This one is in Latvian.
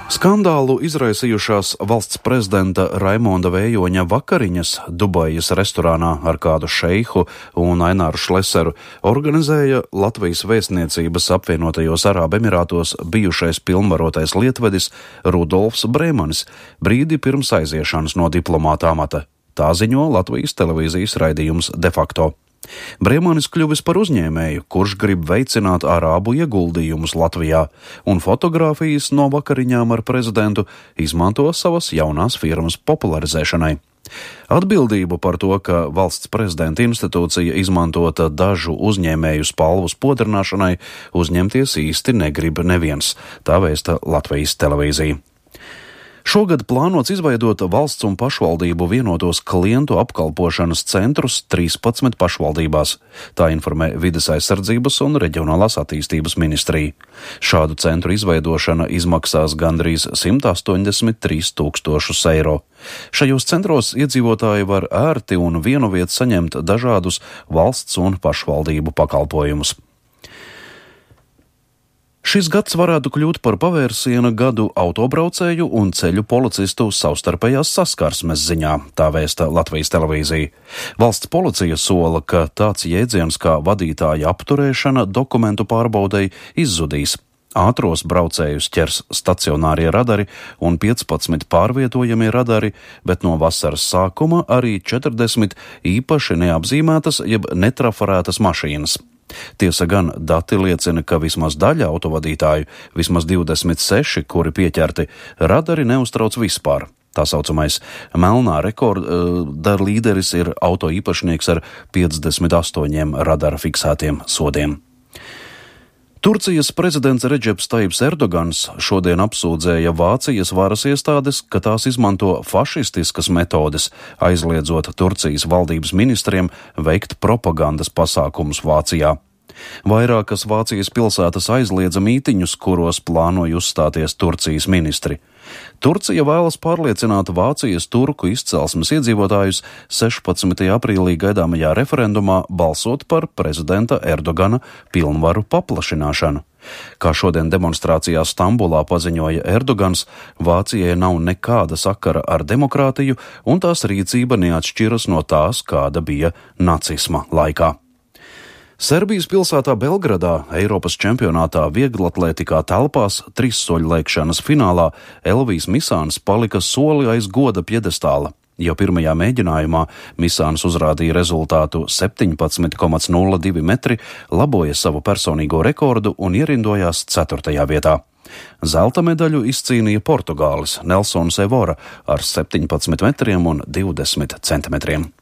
Skandālu izraisījušās valsts prezidenta Raimonda Vējoņa vakariņas Dubajas restorānā ar kādu šeihu un Aināru Šleseru organizēja Latvijas vēstniecības apvienotajos Arābu Emirātos bijušais pilnvarotais lietvedis Rudolfs Brēmanis brīdi pirms aiziešanas no diplomāta amata. Tā ziņo Latvijas televīzijas raidījums De facto. Brēmanis kļuvis par uzņēmēju, kurš grib veicināt arābu ieguldījumus Latvijā, un fotogrāfijas no vakariņām ar prezidentu izmanto savas jaunās firmas popularizēšanai. Atbildību par to, ka valsts prezidenta institūcija izmantota dažu uzņēmēju spalvu spodrināšanai, uzņemties īsti negrib neviens, tā vēsta Latvijas televīzija. Šogad plānots izveidot valsts un pašvaldību vienotos klientu apkalpošanas centrus 13 pašvaldībās. Tā informē Vides aizsardzības un reģionālās attīstības ministrija. Šādu centru izveidošana izmaksās gandrīz 183 000 eiro. Šajos centros iedzīvotāji var ērti un vienu vietu saņemt dažādus valsts un pašvaldību pakalpojumus. Šis gads varētu kļūt par pavērsiena gadu autobraucēju un ceļu policistu savstarpējās saskarsmes ziņā, tā vēsta Latvijas televīzija. Valsts policija sola, ka tāds jēdziens kā vadītāja apturēšana dokumentu pārbaudei izzudīs. Ātros braucējus ķers stacionārie radari un 15 pārvietojamie radari, bet no vasaras sākuma arī 40 īpaši neapzīmētas jeb netrafarētas mašīnas. Tiesa gan dati liecina, ka vismaz daļa autovadītāju, vismaz 26, kuri pieķerti, radari neuztrauc vispār. Tā saucamais melnā rekorda līderis ir auto īpašnieks ar 58 radara fiksētiem sodiem. Turcijas prezidents Redžeps Tajibs Erdogans šodien apsūdzēja Vācijas varas iestādes, ka tās izmanto fašistiskas metodes, aizliedzot Turcijas valdības ministriem veikt propagandas pasākumus Vācijā. Vairākas Vācijas pilsētas aizliedza mītiņus, kuros plānoja uzstāties Turcijas ministri. Turcija vēlas pārliecināt Vācijas turku izcelsmes iedzīvotājus 16. aprīlī gaidāmajā referendumā balsot par prezidenta Erdogana pilnvaru paplašināšanu. Kā šodien demonstrācijā Stambulā paziņoja Erdogans, Vācijai nav nekāda sakara ar demokrātiju, un tās rīcība neatšķiras no tās, kāda bija nacisma laikā. Serbijas pilsētā Belgradā Eiropas čempionātā vieglatlētikā telpās trīssoļlēkšanas finālā Elvijs Misāns palika soli aiz goda pjedestāla. Jau pirmajā mēģinājumā Misāns uzrādīja rezultātu 17,02 metri, laboja savu personīgo rekordu un ierindojās 4. vietā. Zelta medaļu izcīnīja Portugālis Nelsons Evora ar 17 metriem un 20 centimetriem.